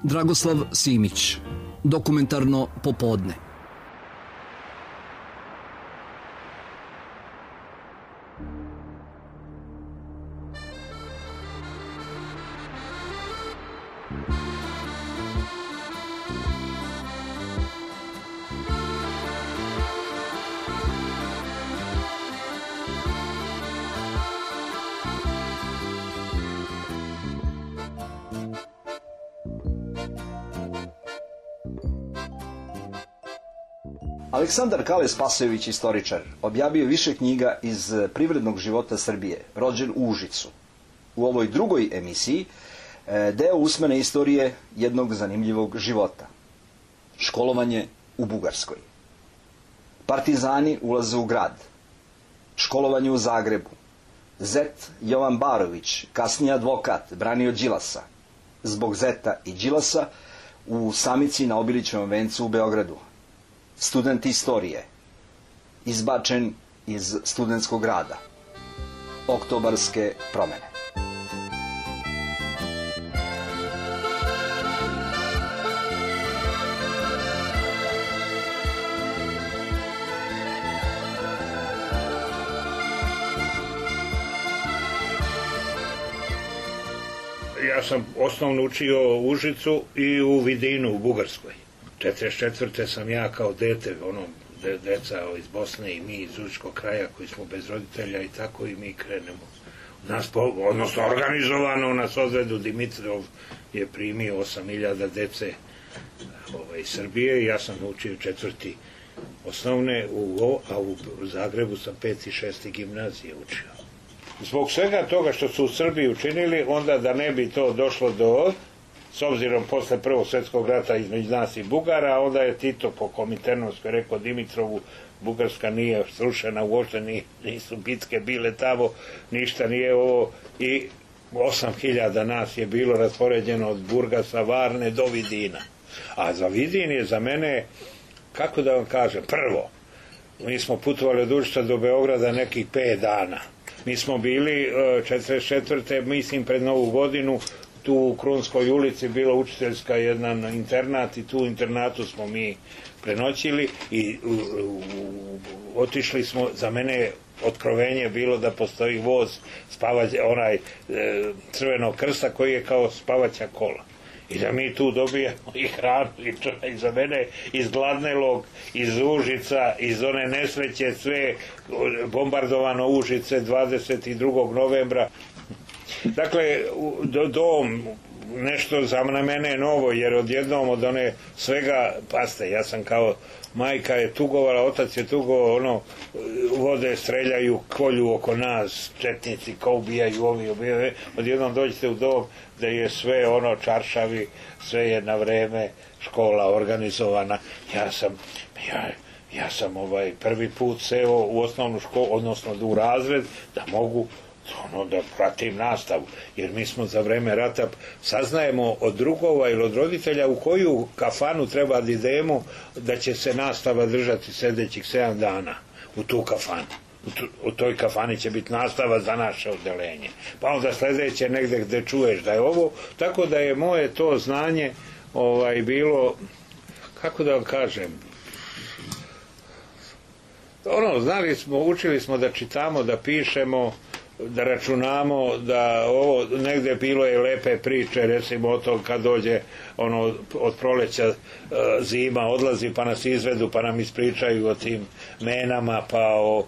Dragoslav Simić, dokumentarno popodne. Aleksandar Kale Spasojević, istoričar, objavio više knjiga iz privrednog života Srbije, rođen u Užicu. U ovoj drugoj emisiji deo usmene istorije jednog zanimljivog života. Školovanje u Bugarskoj. Partizani ulaze u grad. Školovanje u Zagrebu. Zet Jovan Barović, kasniji advokat, branio Đilasa. Zbog Zeta i Đilasa u samici na Obilićevom vencu u Beogradu. Student istorije, izbačen iz studentskog rada, oktobarske promene. Ja sam osnovno učio u Užicu i u Vidinu u Bugarskoj. 44. sam ja kao dete, deca iz Bosne i mi iz Užičkog kraja koji smo bez roditelja i tako i mi krenemo. Odnosno organizovano nas odvedu, Dimitrov je primio 8.000 dece iz Srbije i ja sam učio 4. osnovne, a u Zagrebu sam 5. i 6. gimnazije učio. Zbog svega toga što su u Srbiji učinili, onda da ne bi to došlo do... S obzirom posle Prvog svjetskog rata između nas i Bugara, onda je Tito po Kominternovskoj rekao Dimitrovu, Bugarska nije srušena, uopšte nisu bitke bile tamo, ništa nije ovo, i 8.000 nas je bilo raspoređeno od Burgasa, Varne do Vidina. A za Vidin je za mene, kako da vam kažem, prvo, mi smo putovali od Užica do Beograda nekih 5 dana. Mi smo bili 44. mislim pred Novu godinu, tu u Krunskoj ulici bila učiteljska jedan internat i tu u internatu smo mi prenoćili i otišli smo, za mene otkrovenje bilo da postoji voz onaj Crvenog krsta koji je kao spavaća kola i da mi tu dobijamo i hranu i za mene iz Gladnelog, iz Užica, iz one nesreće, sve bombardovano Užice 22. novembra. Dakle, dom, nešto za mene je novo, jer odjednom od one svega, paste, ja sam kao majka je tugovala, otac je tugovao, vode streljaju, kolju oko nas, četnici, ko ubijaju, ovi ubijaju, odjednom dođete u dom da je sve čaršavi, sve je na vreme, škola organizovana. Ja sam prvi put seo u osnovnu školu, odnosno u razred, da mogu da pratim nastavu, jer mi smo za vreme rata saznajemo od drugova ili od roditelja u koju kafanu treba da idemo da će se nastava držati sljedećih 7 dana u tu kafanu. U toj kafani će biti nastava za naše odeljenje. Pa onda sljedeće negde gde čuješ da je ovo, tako da je moje to znanje bilo, kako da vam kažem, znali smo, učili smo da čitamo, da pišemo, da računamo, da ovo negde bilo je lepe priče, recimo o tom kad dođe od proleća zima, odlazi pa nas izvedu pa nam ispričaju o tim menama, pa o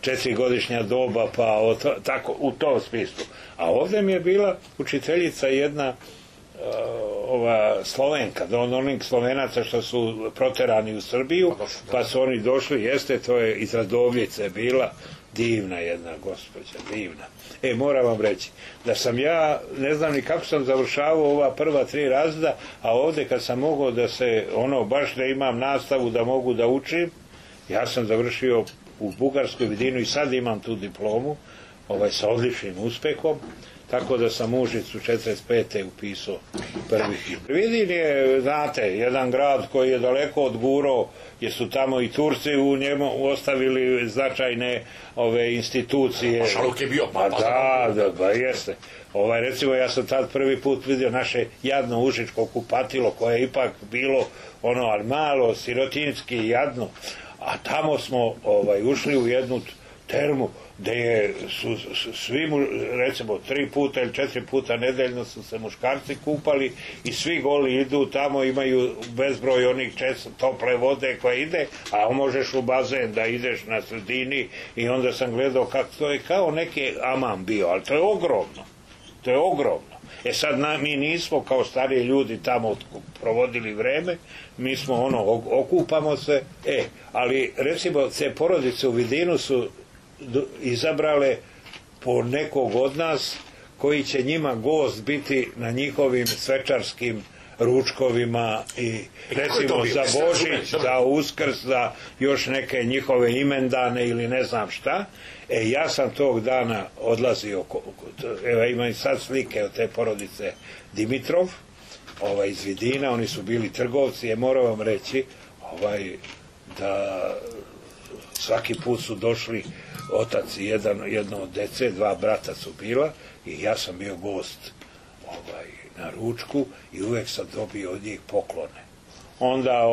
4-godišnja doba, pa tako u tom smislu. A ovdje mi je bila učiteljica jedna Slovenka, od onih Slovenaca što su proterani u Srbiju, pa su oni došli, to je iz Radovljice bila, divna jedna gospođa, divna. Moram vam reći, da sam ja, ne znam ni kako sam završavao ova prva 3 razreda, a ovdje kad sam mogao da se, baš da imam nastavu da mogu da učim, ja sam završio u Bugarskoj Vidinu i sad imam tu diplomu, sa odličnim uspehom, tako da sam u Užicu 45. upisao prvi. Vidin je, znate, jedan grad koji je daleko od Guro, jer su tamo i Turci u njemu ostavili značajne institucije. Šaluk je bio. Da, jeste. Recimo, ja sam tad prvi put vidio naše jadno užičko kupatilo, koje je ipak bilo ali malo, sirotinski, jadno, a tamo smo ušli u jednu termu gde su svi, recimo 3 puta ili 4 puta nedeljno su se muškarci kupali i svi goli idu tamo, imaju bezbroj onih tople vode koja ide, a možeš u bazen da ideš na sredini i onda sam gledao kako to je kao neki amam bio, ali to je ogromno. To je ogromno. Sad mi nismo kao stariji ljudi tamo provodili vreme, mi smo okupamo se, ali recimo te porodice u Vidinu su izabrale po nekog od nas koji će njima gost biti na njihovim svečarskim ručkovima i recimo za Božić, za Uskrs, za još neke njihove imendane ili ne znam šta. Ja sam tog dana odlazio, evo imam i sad slike od te porodice Dimitrov, iz Vidina, oni su bili trgovci, moram vam reći da svaki put su došli otac i jedno od dece, 2 brata su bila i ja sam bio gost na ručku i uvek sam dobio od njih poklone. Onda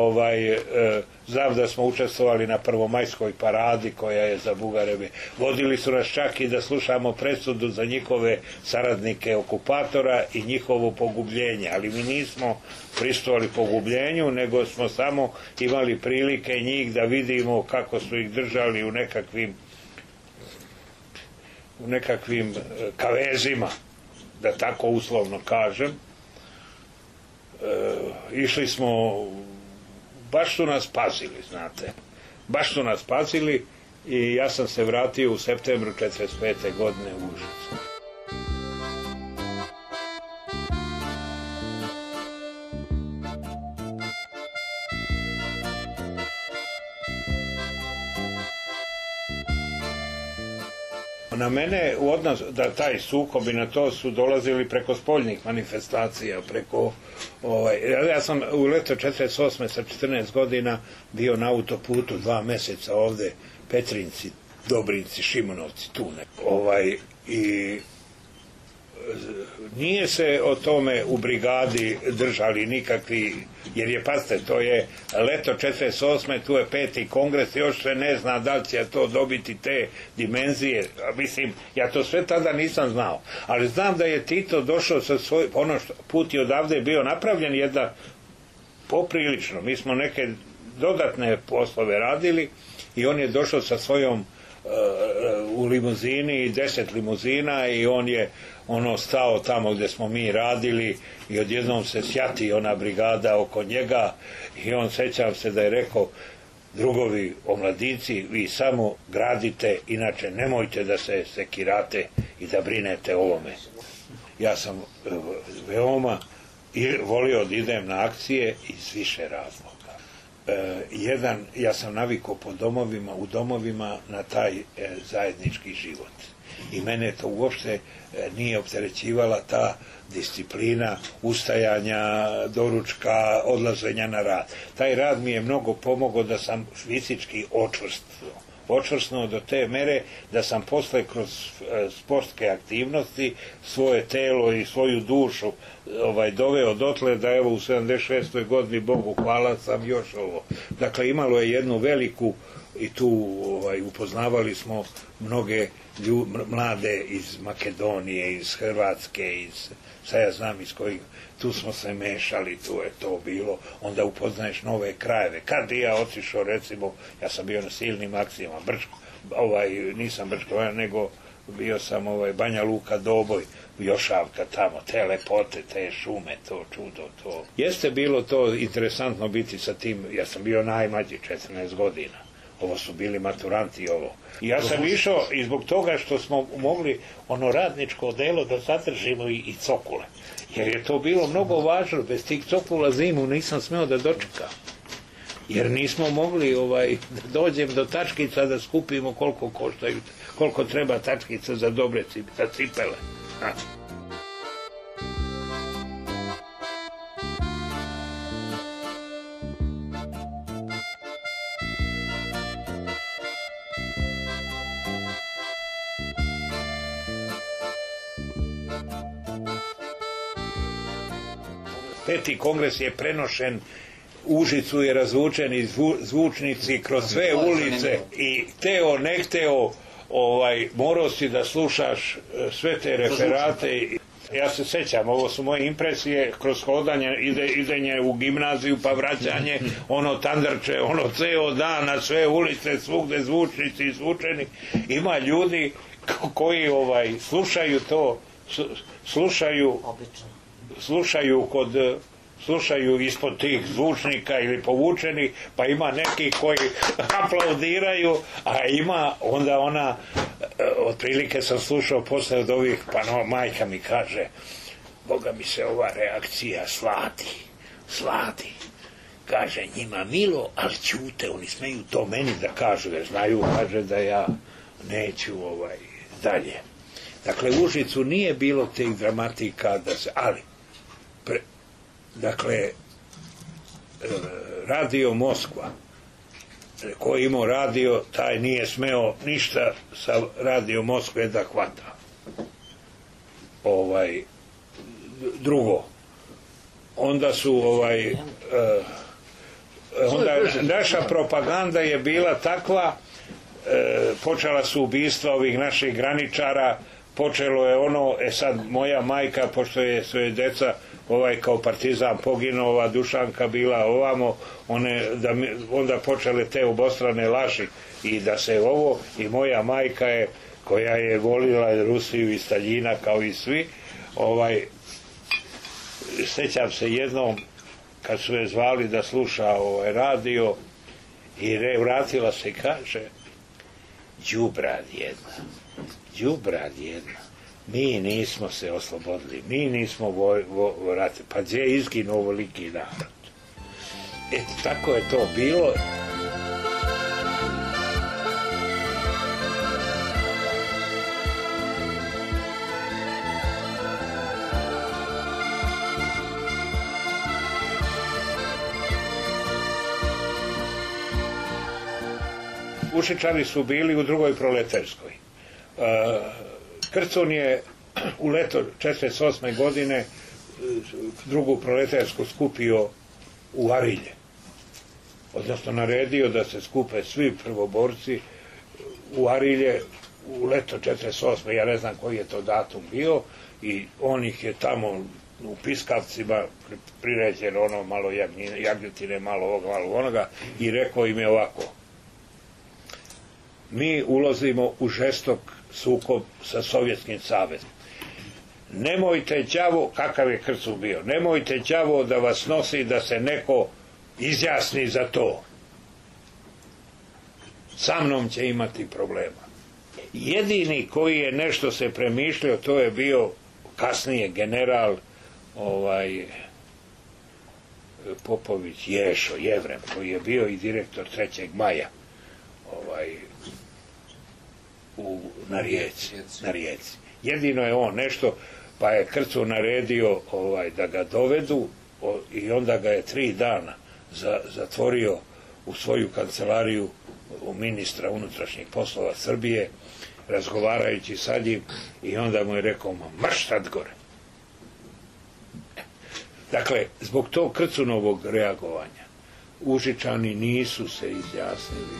znam da smo učestvovali na prvomajskoj paradi koja je za Bugareve. Vodili su nas čak i da slušamo presudu za njihove saradnike okupatora i njihovo pogubljenje, ali mi nismo pristovali pogubljenju, nego smo samo imali prilike njih da vidimo kako su ih držali u nekakvim kavezima, da tako uslovno kažem. Išli smo, baš su nas pazili, znate, baš su nas pazili i ja sam se vratio u septembru 1945. godine u Užicu. Na mene u odnos da taj sukob i na to su dolazili preko spoljnih manifestacija, preko ja sam u leto 48. sa 14 godina bio na autoputu 2 meseca ovde, Petrinci, Dobrinci, Šimonovci, tu i nije se o tome u brigadi držali nikakvi, jer je, pazite, to je leto 48. tu je 5. kongres, još se ne zna da li će to dobiti te dimenzije, mislim, ja to sve tada nisam znao, ali znam da je Tito došao sa svoj, put i odavde je bio napravljen jedna poprilično, mi smo neke dodatne poslove radili i on je došao sa svojom u limuzini, 10 limuzina i on je stao tamo gde smo mi radili i odjednom se sjati ona brigada oko njega i on, sećam se da je rekao: drugovi omladinci, vi samo gradite, inače nemojte da se sekirate i da brinete o ovome. Ja sam veoma volio da idem na akcije iz više razloga. Jedan, ja sam navikao u domovima na taj zajednički život i mene to uopšte nije opterećivala ta disciplina ustajanja, doručka, odlaženja na rad. Taj rad mi je mnogo pomogao da sam fizički očvrsnuo do te mere da sam posle kroz sportske aktivnosti svoje telo i svoju dušu doveo dotle da evo u 76. godini, Bogu hvala, sam još ovo. Dakle, imalo je jednu veliku i tu upoznavali smo mnoge mlade iz Makedonije, iz Hrvatske, sad ja znam iz kojih, tu smo se mešali, tu je to bilo, onda upoznaješ nove krajeve. Kad ja otišao, recimo, ja sam bio na silnim akcijama, nisam Brčko, nego bio sam Banja Luka, Doboj, Jošavka tamo, te lepote, te šume, to čudo, to. Jeste bilo to interesantno biti sa tim, ja sam bio najmlađi, 14 godina. Ovo su bili maturanti ovo. I ja sam išao i zbog toga što smo mogli radničko delo da zadržimo i cokule. Jer je to bilo mnogo važno, bez tih cokula zimu nisam smeo da dočekam. Jer nismo mogli da dođem do tačkica da skupimo koliko koštaju, koliko treba tačkica za dobre cipele. 5. kongres je prenošen, Užicu je razvučeni zvučnici kroz sve ulice i teo, ne hteo, morao si da slušaš sve te referate. Ja se sećam, ovo su moje impresije kroz hodanje, idenje u gimnaziju pa vraćanje, tandrče, ceo dan na sve ulice, svugde zvučnici izvučeni. Ima ljudi koji slušaju to, slušaju ispod tih zvučnika ili povučeni, pa ima neki koji aplaudiraju, a ima onda otprilike sam slušao posle od ovih, pa majka mi kaže, Boga mi se ova reakcija slati. Kaže, njima milo, ali ćute, oni smeju to meni da kažu, jer znaju, kaže da ja neću dalje. Dakle, u Užicu nije bilo tih dramatika, ali dakle, Radio Moskva, ko je imao radio, taj nije smeo ništa sa Radio Moskve da hvata. Drugo, onda su onda naša propaganda je bila takva, počela su ubistva ovih naših graničara, počelo je sad moja majka, pošto je svoje deca kao partizan poginuo, Dušanka bila ovamo, onda počele te obostrane laži i da se i moja majka je, koja je volila Rusiju i Staljina kao i svi, sećam se jednom kad su je zvali da sluša radio i vratila se i kaže, đubrad jedna, mi nismo se oslobodili, mi nismo vratili, pa gdje je izginuo ovoliki narod. Tako je to bilo. Ušičani su bili u drugoj proletarskoj. Krcun je u leto 1948. godine drugu proletarsku skupio u Arilje. Odnosno naredio da se skupe svi prvoborci u Arilje u leto 1948. Ja ne znam koji je to datum bio i on ih je tamo u piskavcima priređen malo jagnjetine, malo ovoga, malo onoga i rekao im je ovako: mi ulazimo u žestok sukob sa Sovjetskim savezom. Nemojte đavo, kakav je Krcun bio, nemojte đavo da vas nosi da se neko izjasni za to. Sa mnom će imati problema. Jedini koji je nešto se premišljao, to je bio kasnije general Popović Ješo, Jevrem, koji je bio i direktor 3. maja na Rijeci. Jedino je on nešto, pa je Krcun naredio da ga dovedu i onda ga je 3 dana zatvorio u svoju kancelariju u ministra unutrašnjih poslova Srbije, razgovarajući sa njim, i onda mu je rekao: marš sad gore. Dakle, zbog tog Krcunovog reagovanja Užičani nisu se izjasnili.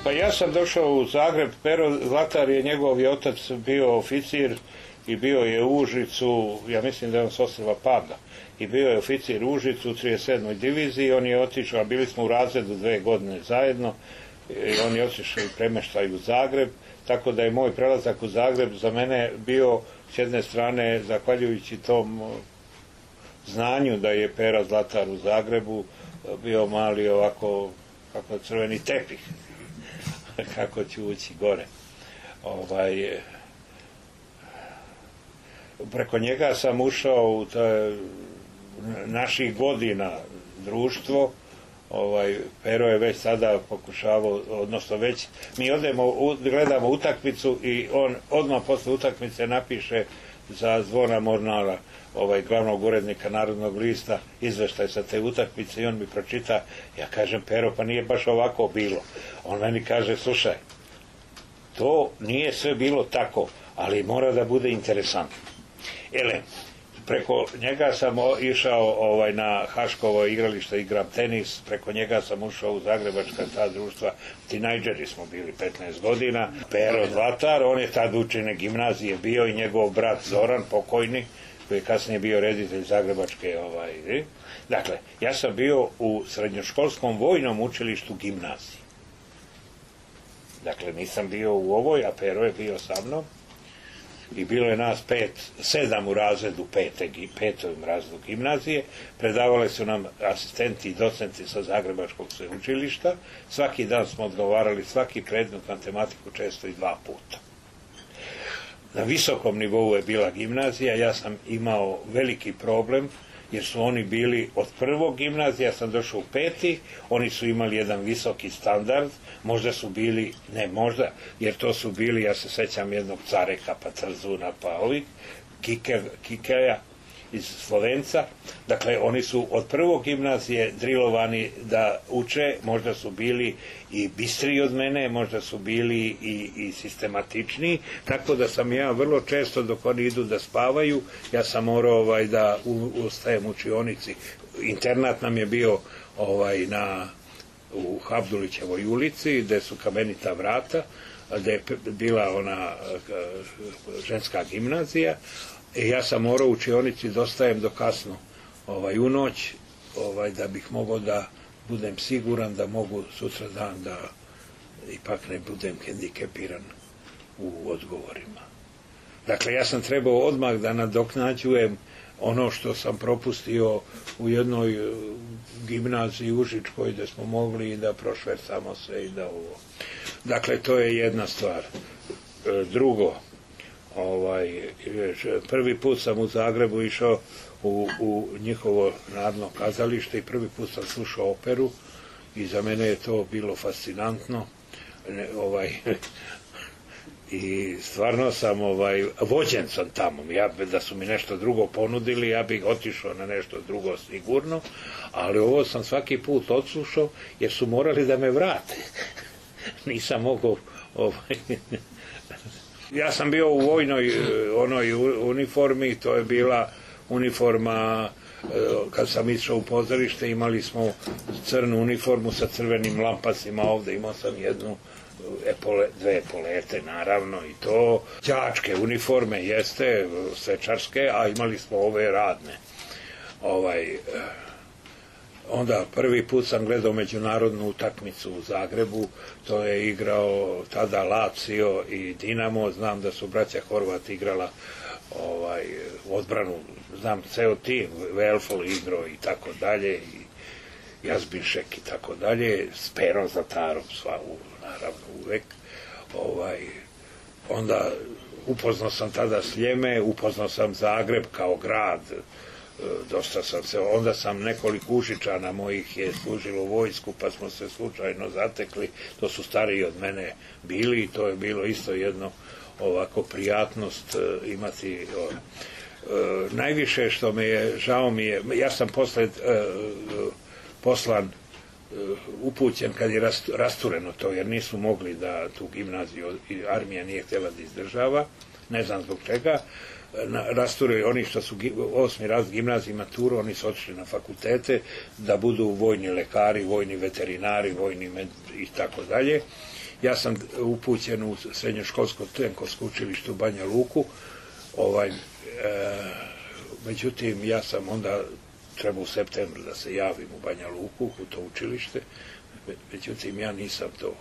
Pa ja sam došao u Zagreb, Pero Zlatar je, njegov je otac bio oficir i bio je u Užicu, ja mislim da je on s ostrva Paga, i bio je oficir u Užicu u 37. diviziji, on je otišao, bili smo u razredu 2 godine zajedno, i on je otišao i premeštaj u Zagreb, tako da je moj prelazak u Zagreb za mene bio, s jedne strane, zahvaljujući tom znanju da je Pera Zlatar u Zagrebu, bio mali ovako, kako crveni tepih, kako ću ući gore. Preko njega sam ušao u naših godina društvo. Pero je već sada pokušavao, odnosno već mi odemo, gledamo utakmicu i on odmah posle utakmice napiše za Zvona Mornara, glavnog urednika Narodnog lista, izveštaj sa te utakmice i on mi pročita, ja kažem, Pero, pa nije baš ovako bilo. On meni kaže, slušaj, to nije sve bilo tako, ali mora da bude interesantno. Preko njega sam išao na Haškovo igralište, igram tenis, preko njega sam ušao u zagrebačka ta društva, tinejdžeri smo bili 15 godina, Pero Zlatar, on je tad učene gimnazije bio i njegov brat Zoran, pokojni, koji je kasnije bio reditelj zagrebačke. Dakle, ja sam bio u srednjoškolskom vojnom učilištu gimnazije. Dakle, nisam bio u ovoj, a Pero je bio sa mnom. I bilo je nas 7 u razredu, petom razredu gimnazije. Predavali su nam asistenti i docenti sa Zagrebačkog sveučilišta. Svaki dan smo odgovarali svaki predmet matematiku, često i 2 puta. Na visokom nivou je bila gimnazija, ja sam imao veliki problem, jer su oni bili od prvog gimnazija, ja sam došao u 5. Oni su imali jedan visoki standard, možda su bili, ne možda, jer to su bili, ja se sećam jednog Careka, pa Trzuna, pa Kikeja iz Slovenca. Dakle, oni su od prvog gimnazije drilovani da uče, možda su bili i bistriji od mene, možda su bili i sistematičniji, tako da sam ja vrlo često dok oni idu da spavaju, ja sam morao da ustajem u učionici. Internat nam je bio u Habdulićevoj ulici, gde su kamenita vrata, gde je bila ona ženska gimnazija. Ja sam morao u učionici da ostajem do kasno u noć, da bih mogao da budem siguran da mogu sutra dan da ipak ne budem hendikepiran u odgovorima. Dakle, ja sam trebao odmah da nadoknađujem ono što sam propustio u jednoj gimnaziji Užičkoj, gde smo mogli da prošvercamo se i da ovo. Dakle, to je jedna stvar. Drugo, prvi put sam u Zagrebu išao u njihovo narodno kazalište i prvi put sam slušao operu i za mene je to bilo fascinantno. I stvarno sam vođen sam tamo. Da su mi nešto drugo ponudili, ja bih otišao na nešto drugo sigurno, ali ovo sam svaki put odslušao jer su morali da me vrate. Nisam mogao ja sam bio u vojnoj onoj uniformi, to je bila uniforma, kad sam išao u pozorište, imali smo crnu uniformu sa crvenim lampasima ovde, imao sam dve epolete, naravno, i to, đačke uniforme, jeste, svečarske, a imali smo ove radne. Onda prvi put sam gledao međunarodnu utakmicu u Zagrebu, to je igrao tada Lazio i Dinamo, znam da su braća Horvat igrala odbranu, znam ceo tim, Velfol igrao i tako dalje, i Jazbinšek i tako dalje, s Perom Zlatarom, naravno uvek. Onda upoznao sam tada Sljeme, upoznao sam Zagreb kao grad, dosta sam se, onda sam nekoliko Užičana mojih je služilo u vojsku, pa smo se slučajno zatekli, to su stariji od mene bili i to je bilo isto jedno ovako prijatnost imati. Najviše što me je, žao mi je, ja sam poslan, upućen kad je rastureno to, jer nisu mogli da tu gimnaziju, armija nije htjela da izdržava, ne znam zbog čega, rasturaju oni što su 8. razred gimnazije maturu, oni su otišli na fakultete da budu vojni lekari, vojni veterinari, vojni i tako dalje. Ja sam upućen u srednjoškolsko tenkovsko učilište u Banja Luku, međutim ja sam onda trebao u septembru da se javim u Banja Luku, u to učilište, međutim ja nisam to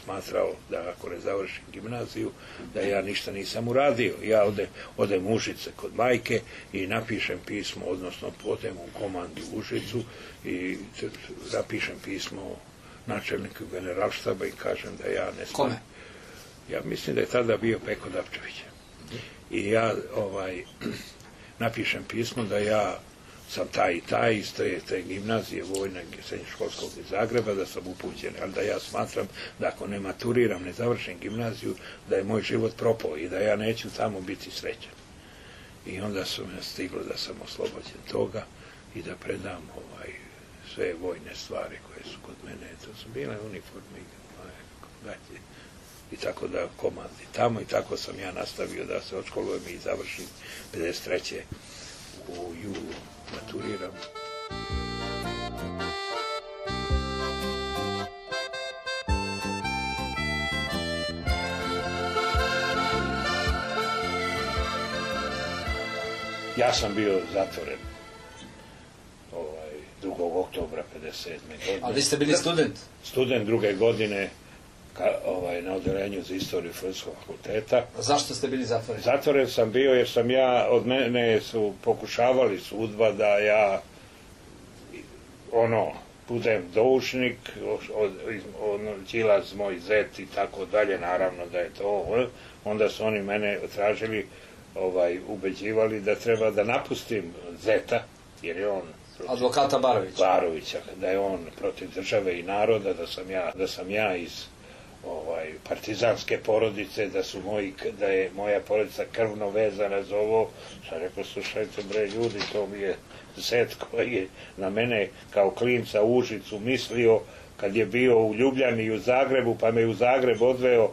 smatrao da ako ne završim gimnaziju, da ja ništa nisam uradio. Ja odem u Užice kod majke i napišem pismo, odnosno odem u komandu u Užicu i napišem pismo načelniku generalštaba i kažem da ja ne smijem. Kome? Ja mislim da je tada bio Peko Dapčević. I ja napišem pismo da ja sam taj i taj iz te gimnazije vojne srednjoškolskog iz Zagreba, da sam upućen, ali da ja smatram da ako ne maturiram, ne završim gimnaziju, da je moj život propao i da ja neću tamo biti srećan. I onda su me stiglo da sam oslobođen toga i da predam sve vojne stvari koje su kod mene. To su bile uniforme, gaće i tako da komandi tamo i tako sam ja nastavio da se odškolujem i završim 53. u julu maturiram. Ja sam bio zatvoren 2. oktobra 57. godine. Ali vi ste bili student? Student 2. godine na odeljenju za istoriju Filozofskog fakulteta. Zašto ste bili zatvoreni? Zatvoren sam bio jer sam ja, od mene su pokušavali sudba da ja budem doušnik, Đilas, moj zet i tako dalje, naravno da je to. Onda su oni mene tražili, ubeđivali da treba da napustim zeta, jer je on advokata Barovića, da je on protiv države i naroda, da sam ja iz partizanske porodice, da je moja porodica krvno vezana za ovo. Sam rekao, slušajte bre ljudi, to mi je zet koji je na mene kao klinca u Užicu mislio kad je bio u Ljubljani i u Zagrebu, pa me u Zagreb odveo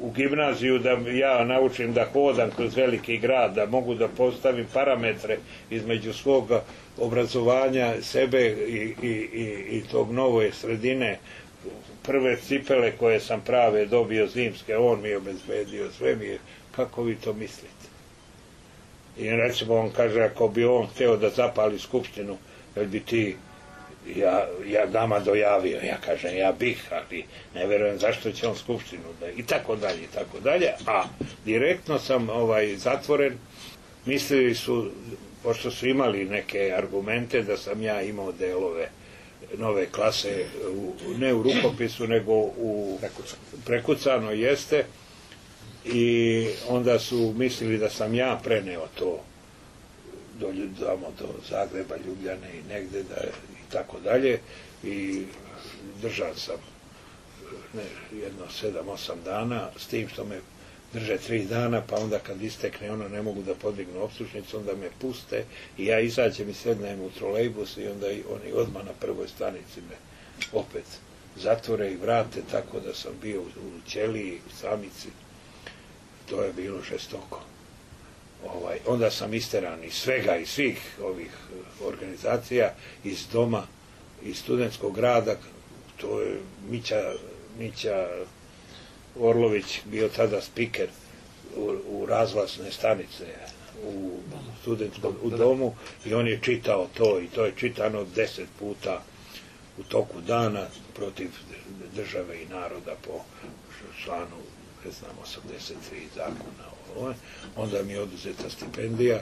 u gimnaziju da ja naučim da hodam kroz veliki grad, da mogu da postavim parametre između svog obrazovanja sebe i tog nove sredine. Prve cipele koje sam prave dobio zimske, on mi je obezbedio, sve mi je, kako vi to mislite? I recimo on kaže, ako bi on hteo da zapali skupštinu, jel bi ti ja nama dojavio, ja kažem, ja bih, ali ne verujem zašto će on skupštinu da, i tako dalje, a direktno sam zatvoren. Mislili su, pošto su imali neke argumente da sam ja imao delove nove klase, ne u rukopisu, nego u prekucano jeste, i onda su mislili da sam ja preneo to do Zagreba, Ljubljane i negde i tako dalje, i držan sam jedno 7-8 dana, s tim što me drže 3 dana, pa onda kad istekne ne mogu da podignu optužnicu, onda me puste i ja izađem i sednem u trolejbus i onda oni odmah na prvoj stanici me opet zatvore i vrate, tako da sam bio u ćeliji, u samici. To je bilo žestoko. Onda sam isteran iz svega, iz svih ovih organizacija, iz doma, iz studentskog rada. To je Mića Orlović bio tada spiker u razglasne stanice u studentskom domu i on je čitao to i to je čitano 10 puta u toku dana protiv države i naroda po članu 83 zakona. Onda mi je oduzeta stipendija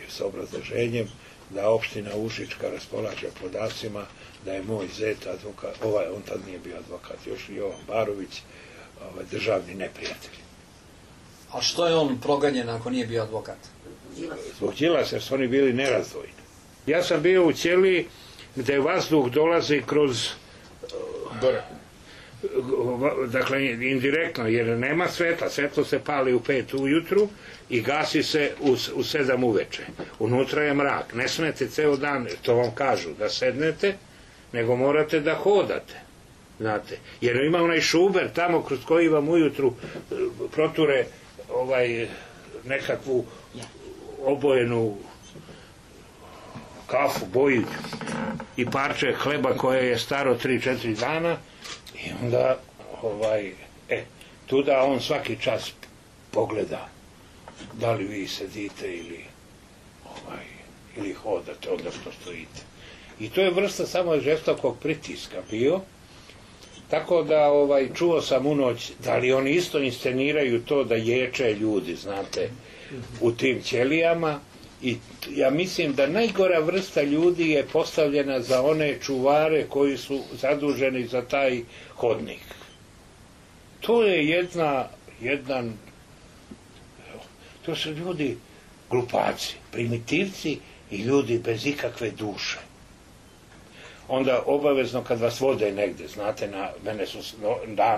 sa obrazloženjem da opština Užička raspolaže podacima da je moj zet advokat, on tad nije bio advokat, još Jovan Barović, državni neprijatelj. A što je on proganjen ako nije bio advokat? Zbog Đilasa, jer su oni bili nerazdvojni. Ja sam bio u ćeliji gde vazduh dolazi kroz dakle indirektno, jer nema sveta, svetlo se pali u 5 ujutru i gasi se u 7 uveče. Unutra je mrak, ne smete ceo dan, to vam kažu, da sednete, nego morate da hodate, znate, jer ima onaj šuber tamo kroz koji vam ujutru proture nekakvu obojenu kafu, boju i parče hleba koje je staro 3-4 dana i onda tuda on svaki čas pogleda da li vi sedite ili hodate, odnosno stojite. I to je vrsta samo žestokog pritiska bio, tako da čuo sam u noć da li oni isto insceniraju to da ječe ljudi, znate, u tim ćelijama. I ja mislim da najgora vrsta ljudi je postavljena za one čuvare koji su zaduženi za taj hodnik. To je to su ljudi glupaci, primitivci i ljudi bez ikakve duše. onda obavezno kad vas vode negde, znate, mene su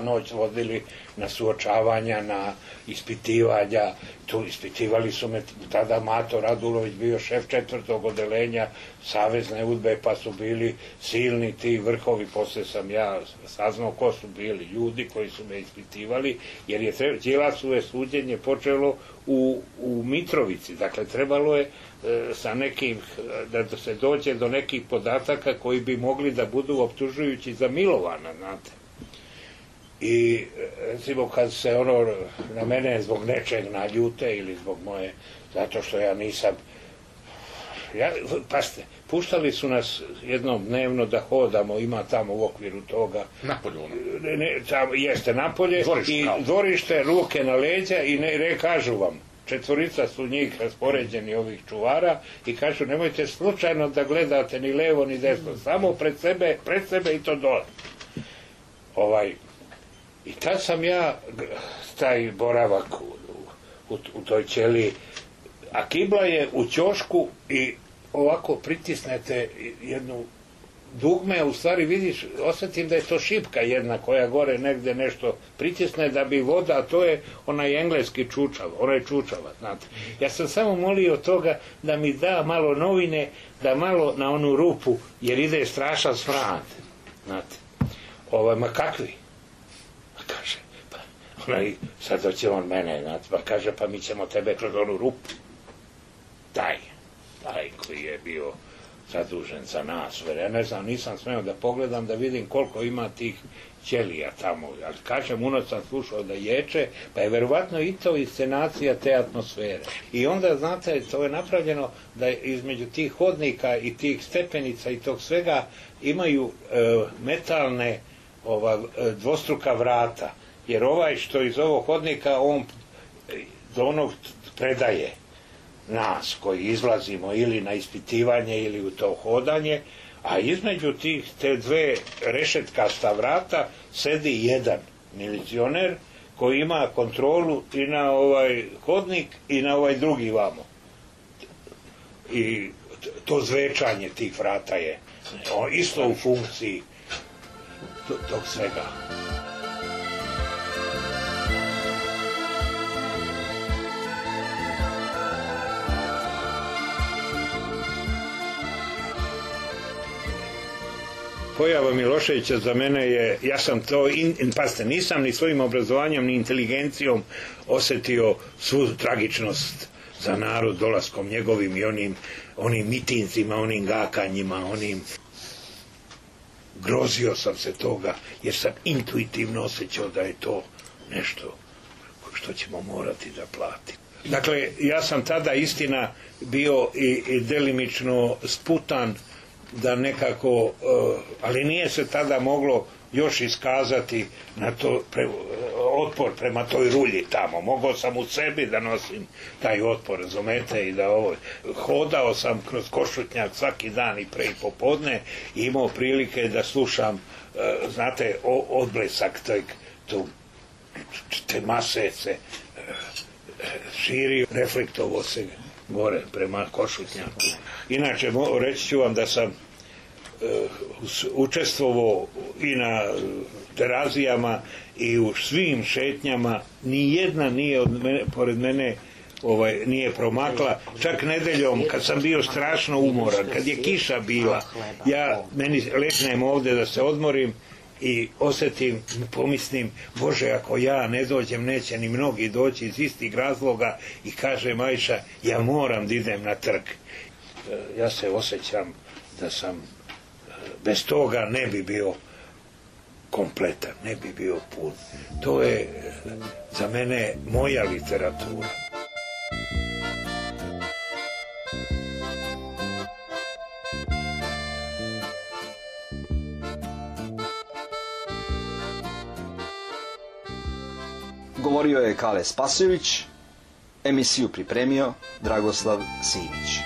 noć vodili na suočavanja, na ispitivanja, tu ispitivali su me, tada Mato Radulović bio šef 4. odeljenja Savezne UDBE, pa su bili silni ti vrhovi, posle sam ja saznao ko su bili ljudi koji su me ispitivali, jer je Đilasove suđenje počelo u Mitrovici, dakle trebalo je sa nekim, da se dođe do nekih podataka koji bi mogli da budu optužujući za Milovana, znate. I recimo kad se na mene zbog nečeg naljute ili zbog moje, zato što ja nisam, pazite, puštali su nas jednom dnevno da hodamo, ima tamo u okviru toga napolje, jeste napolje i dvorište, ruke na leđa i kažu vam, 4 su njih raspoređeni ovih čuvara i kažu nemojte slučajno da gledate ni levo ni desno, samo pred sebe i to dole. I tad sam ja taj boravak u toj ćeliji, a kibla je u ćošku i ovako pritisnete jednu dugme, u stvari vidiš, osjetim da je to šipka jedna koja gore negde nešto pritisne da bi voda, a to je onaj engleski čučav, onaj čučava, znate. Ja sam samo molio toga da mi da malo novine, da malo na onu rupu, jer ide strašan smrad, znate. Ma kakvi? Pa kaže, sad doće on mene, znate, pa kaže, pa mi ćemo tebe kroz onu rupu. Taj koji je bio zadužen za nas, ja ne znam, nisam smeo da pogledam, da vidim koliko ima tih ćelija tamo, ali kažem, unoć sam slušao da ječe, pa je verovatno i to inscenacija te atmosfere. I onda, znate, to je napravljeno da između tih hodnika i tih stepenica i tog svega imaju metalne dvostruka vrata, jer ovaj što iz ovog hodnika, on do onog predaje nas koji izlazimo ili na ispitivanje ili u to hodanje, a između te dve rešetkasta vrata sedi jedan milicioner koji ima kontrolu i na ovaj hodnik i na ovaj drugi vamo. I to zvečanje tih vrata je isto u funkciji tog svega. Pojava Miloševića za mene je, ja sam to, pazite, nisam ni svojim obrazovanjem ni inteligencijom osetio svu tragičnost za narod dolaskom njegovim i onim mitinzima, onim gakanjima, grozio sam se toga jer sam intuitivno osjećao da je to nešto što ćemo morati da platimo. Dakle, ja sam tada istina bio i delimično sputan da nekako, ali nije se tada moglo još iskazati na to otpor prema toj rulji tamo. Mogao sam u sebi da nosim taj otpor, razumete, i da hodao sam kroz Košutnjak svaki dan i pre i popodne i imao prilike da slušam, znate, odblesak te mase se širio, reflektovo se gore prema Košutnjaku. Inače, reći ću vam da sam učestvovao i na Terazijama i u svim šetnjama, ni jedna nije pored mene nije promakla, čak nedeljom kad sam bio strašno umoran, kad je kiša bila, meni legnem ovde da se odmorim i osjetim, pomislim, Bože, ako ja ne dođem, neće ni mnogi doći iz istih razloga, i kaže Majša, ja moram da idem na trg. Ja se osjećam da sam bez toga ne bi bio kompletan, ne bi bio pun. To je za mene moja literatura. Govorio je Kale Spasojević, emisiju pripremio Dragoslav Simić.